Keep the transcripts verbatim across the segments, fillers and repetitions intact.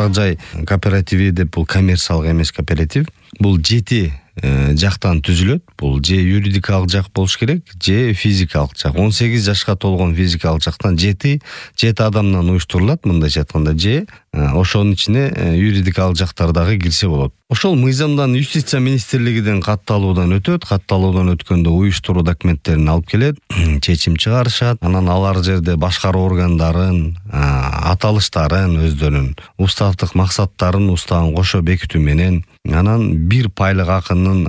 турак жай кооперативи деп бул коммерциялык эмес кооператив. Бул жети жактан түзүлөт. Бул же юридикалык жак болуш керек, же физикалык жак. он сегиз жашка толгон физикалык жактан жети жети адамдан уюштурулат мындайча айтканда, же ошонун ичине юридикалык жактар дагы кирсе болот. Ошол мыйзамдан юстиция министрлигинин катталуудан өтөт. Катталуудан өткөндө уюштуруу документтерин алып келет, чечим чыгарышат. Анан алар жерде башкаруу органдарын аталыштарын, өздөрүнүн уставдык максаттарын уставын кошо бекитүү менен анан бир пайлык акынын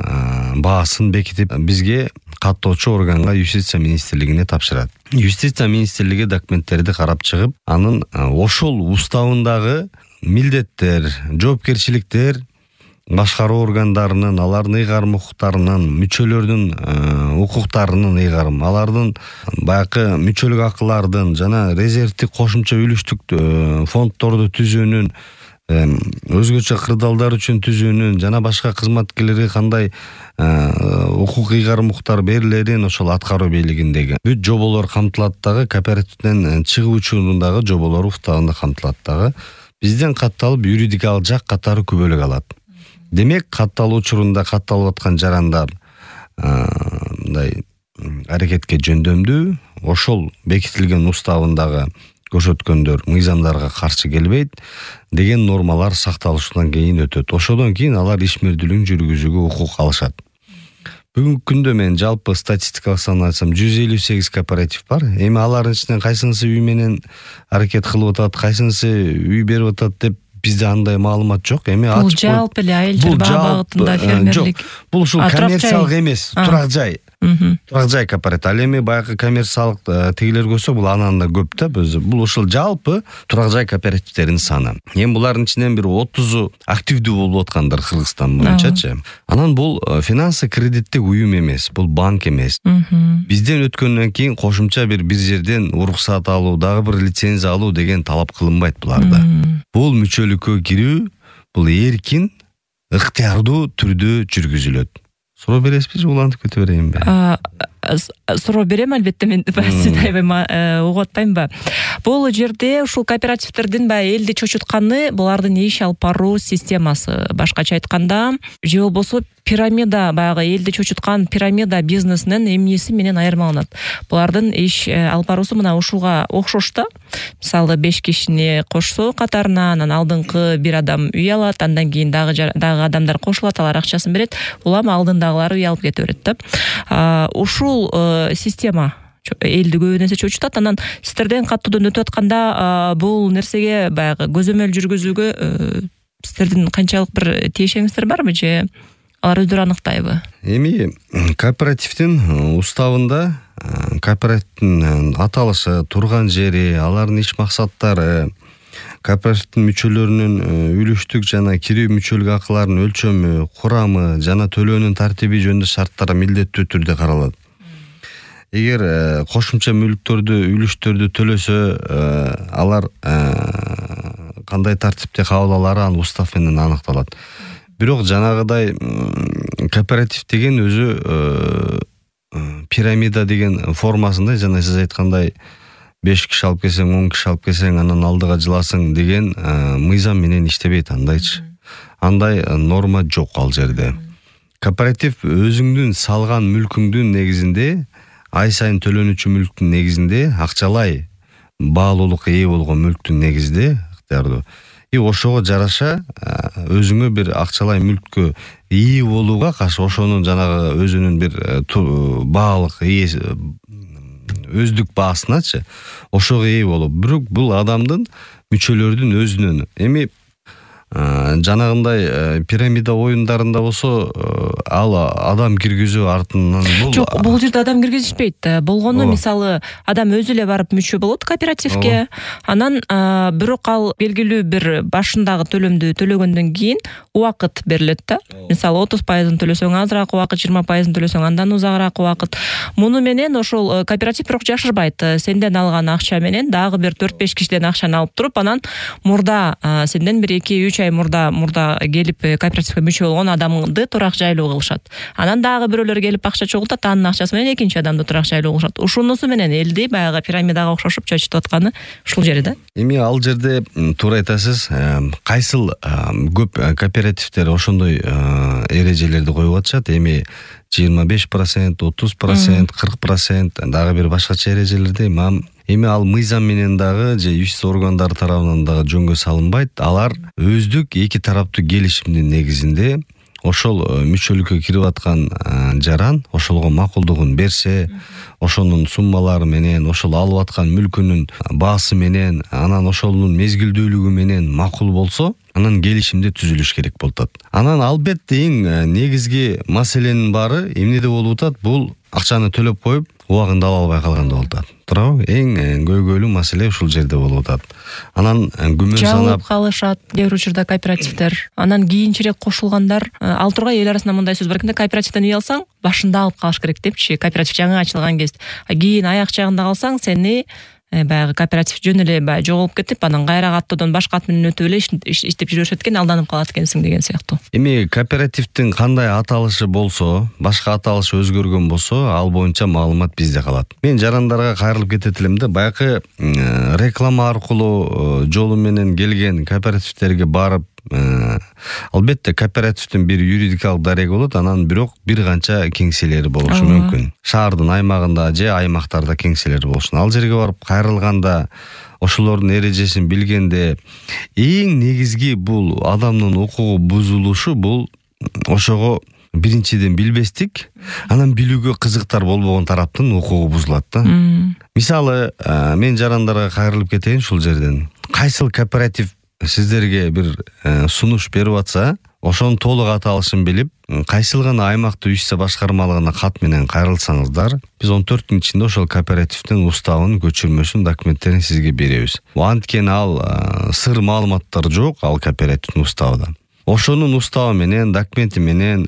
баасын бекитип бизге каттоочу органга юстиция министрлигине тапшырат. Юстиция министрлиги документтерди карап чыгып, анын ошол уставындагы милдеттер, жоопкерчиликтер башкаруу органдарынын, алардын ыйгарым укуктарынын, мүчөлөрдүн укуктарынын ыйгарым, алардын баягы мүчөлүк акылардын жана резервдик кошумча үлүштүк фонддорду түзүүнүн, өзгөчө кырдаалдар үчүн түзүүнүн жана башка кызматкерлерге кандай укук ыйгарым укуктар берилерин ошол аткаруу бийлигиндеги бүт жоболор камтылат дагы, кооперативден чыгуу учурундагы жоболор уставында камтылат дагы. Бизден катталып юридикалык жак катары күбөлүк алат. Демек, катталуу учурунда катталып аткан жарандар мындай аракетке жөндөмдүү, ошол бекитилген уставындагы көрсөткөндөр мыйзамдарга каршы келбейт деген нормалар сакталышынан кийин өтөт. Ошодон кийин алар ишмердүүлүгүн жүргүзүүгө укук алышат. Бүгүнкү күндө мен жалпы статистикалык санын айтсам жүз элүү сегиз кооператив бар. Эми алардын ичинен кайсынысы үй менен аракет кылып атат, кайсынысы үй берип атат деп бизде андай маалымат жок. Эми бул жалпы эле айыл чарба багытында фермерлик. Бул ушул коммерциялык эмес, турак жай. Турак жай кооператив. Ал эми баягы коммерциялык тигилер көрсө, бул анан да көп да. Бул ушул жалпы турак жай кооперативтердин саны. Эми булардын ичинен бир отузу активдүү болуп аткандар Кыргызстан боюнчачы. Анан бул финансы кредиттик уюм эмес, бул банк эмес. Бизден өткөндөн кийин кошумча бир бир жерден уруксат алуу, дагы бир лицензия алуу деген талап кылынбайт буларда. Бул мүчөлүккө кирүү, бул эркин, ыктыярдуу түрдө жүргүзүлөт. Суроо бересизби, улантып кете берейинби? Суроо берем, албетте, мен сизди аябай угуп атпаймынбы? Бул жерде ушул кооперативтердин баягы элди чочутканы булардын иш алып баруу системасы. Башкача айтканда, же болбосо пирамида, баягы элди чочуткан пирамида бизнесинин эмнеси менен айырмаланат. Булардын иш алып баруусу мына ушуга окшош да. Мисалы беш кишини кошсо катарына, анан алдыңкы бир адам үй алат, андан кийин дагы дагы адамдар кошулат, алар акчасын берет, улам алдындагылар үй алып кете берет да. Ушул система элди көп нерсе чочутат. Анан сиздерден каттоодон өтүп атканда бул нерсеге баягы көзөмөл жүргүзүүгө сиздердин канчалык бир тиешеңиздер барбы, же алар өздөрү аныктайбы? Эми кооперативдин уставында кооперативдин аталышы, турган жери, алардын иш максаттары, кооперативдин мүчөлөрүнүн үлүштүк жана кирүү мүчөлүк акыларынын өлчөмү, курамы жана төлөөнүн тартиби жөнүндө шарттар милдеттүү түрдө каралат. Эгер кошумча мүлктөрдү, үлүштөрдү төлөсө, алар кандай тартипте кабыл алары анын устав менен аныкталат. Бирок жанагыдай кооператив деген өзү пирамида деген формасында, жана сиз айткандай беш киши алып келсең, он киши алып келсең, анан алдыга жыласың деген мыйзам менен иштебейт андайчы. Андай норма жок ал жерде. Кооператив өзүңдүн салган мүлкүңдүн негизинде, ай сайын төлөнүүчү мүлктүн негизинде, акчалай баалуулукка ээ болгон мүлктүн негизинде ыктыярдуу. И ошого жараша өзүңө бир акчалай мүлккө ээ болууга каршы ошонун жанагы өзүнүн бир баалык ээси, өздүк баасыначы ошого ээ болуп, бирок бул адамдын мүчөлөрдүн өзүнүн. Эми жанагындай пирамида оюндарында болсо, ал адам киргизүү артынан бул жок, бул жерде адам киргизишпейт. Болгону мисалы адам өзү эле барып мүчө болот кооперативге. Анан бирок ал белгилүү бир башындагы төлөмдү төлөгөндөн кийин убакыт берилет да. Мисалы отуз пайызын төлөсөң азыраак убакыт, жыйырма пайызын төлөсөң андан узагыраак убакыт. Муну менен ошол кооператив бирок жашырбайт. Сенден алган акча менен дагы бир төрт беш кишиден акчаны алып туруп, анан мурда сенден бир эки үч ай мурда мурда келип кооперативге мүчө болгон адамды турак жайлуу кылышат. Анан дагы бирөөлөр келип акча чогултат, анын акчасы менен экинчи адамды турак жайлуу кылышат. Ушунусу менен элди баягы пирамидага окшошуп чачытып атканы ушул жери да. Эми ал жерде туура айтасыз. Кайсыл көп кооперативдер ошондой эрежелерди коюп атышат. Эми жыйырма беш процент, отуз процент, кырк процент дагы бир башкача эрежелерде эми ал мыйзам менен дагы же иш органдары тарабынан дагы жөнгө салынбайт. Алар өздүк эки тараптуу келишимдин негизинде ошол мүчөлүккө кирип аткан жаран ошолго макулдугун берсе, ошонун суммалары менен, ошол алып аткан мүлкүнүн баасы менен, анан ошонун мезгилдүүлүгү менен макул болсо, анан келишимде түзүлүш керек болуп атат. Анан албетте эң негизги маселенин баары эмнеде болуп атат? Бул акчаны төлөп коюп, убагында ала албай калганда болуп атат. Туурабы? Эң көйгөйлүү маселе ушул жерде болуп атат. Анан күмөн санап калышат кээ бир учурда кооперативдер. Анан кийинчерээк кошулгандар, ал тургай эл арасында мындай сөз бар экен да, кооперативден үй алсаң, башында алып калыш керек депчи. Кооператив жаңы ачылган кезде. Кийин аяк жагында калсаң, сени баягы кооператив жөн эле баягы жоголуп кетип, анан кайра каттоодон башка ат менен өтүп эле иштеп жүрүшөт экен, алданып калат экенсиң деген сыяктуу. Эми кооперативдин кандай аталышы болсо, башка аталышы өзгөргөн болсо, ал боюнча маалымат бизде калат. Мен жарандарга кайрылып кетет элем да, баягы реклама аркылуу жолу менен келген кооперативтерге барып, албетте кооперативдин бир юридикалык дареги болот, анан бирок бир канча кеңселери болушу мүмкүн. Шаардын аймагында же аймактарда кеңселери болушун. Ал жерге барып кайрылганда, ошолордун эрежесин билгенде, эң негизги бул адамдын укугу бузулушу, бул ошого биринчиден билбестик, анан билүүгө кызыктар болбогон тараптын укугу бузулат да. Мисалы, мен жарандарга кайрылып кетейин ушул жерден. Кайсыл кооператив сиздерге бир сунуш берип атса, ошонун толук аталышын билип, кайсыл гана аймактуу ишсе башкармалыгына кат менен кайрылсаңыздар, биз он төрт күн ичинде ошол кооперативдин уставынын көчүрмөсүн, документтерин сизге беребиз. Анткени ал сыр маалыматтар жок, ал кооперативдин уставында. Ошонун уставы менен, документи менен,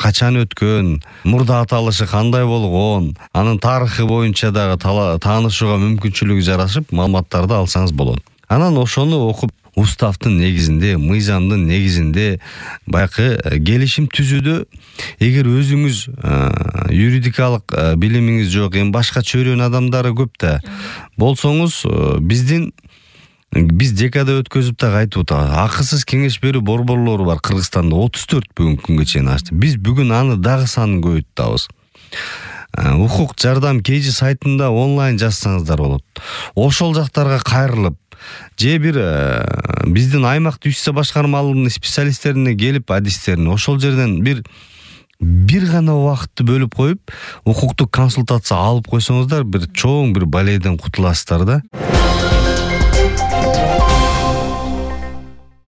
качан өткөн, мурда аталышы кандай болгон, анын тарыхы боюнча дагы таанышууга мүмкүнчүлүгү жарашып, маалыматтарды алсаңыз болот. Анан ошону окуп, уставдын негизинде, мыйзамдын негизинде баягы келишим түзүүдө, эгер өзүңүз юридикалык билимиңиз жок, эми башка чөйрөнүн адамдары көп да болсоңуз, биздин биз декада өткөзүп да айтып атабыз. Акысыз кеңеш берүү борборлору бар Кыргызстанда отуз төрт бүгүнкү күнгө чейин ачты. Биз бүгүн аны дагы санын көбөйтөбүз. Укук жардам кейжи сайтында онлайн жазсаңыздар болот. Ошол жактарга кайрылып, же бир биздин аймактуу ишсе башкармалыгынын специалисттерине келип адистерин ошол жерден бир бир гана убакытты бөлүп коюп, укуктук консультация алып койсоңуздар, бир чоң бир балейден кутуласыздар да.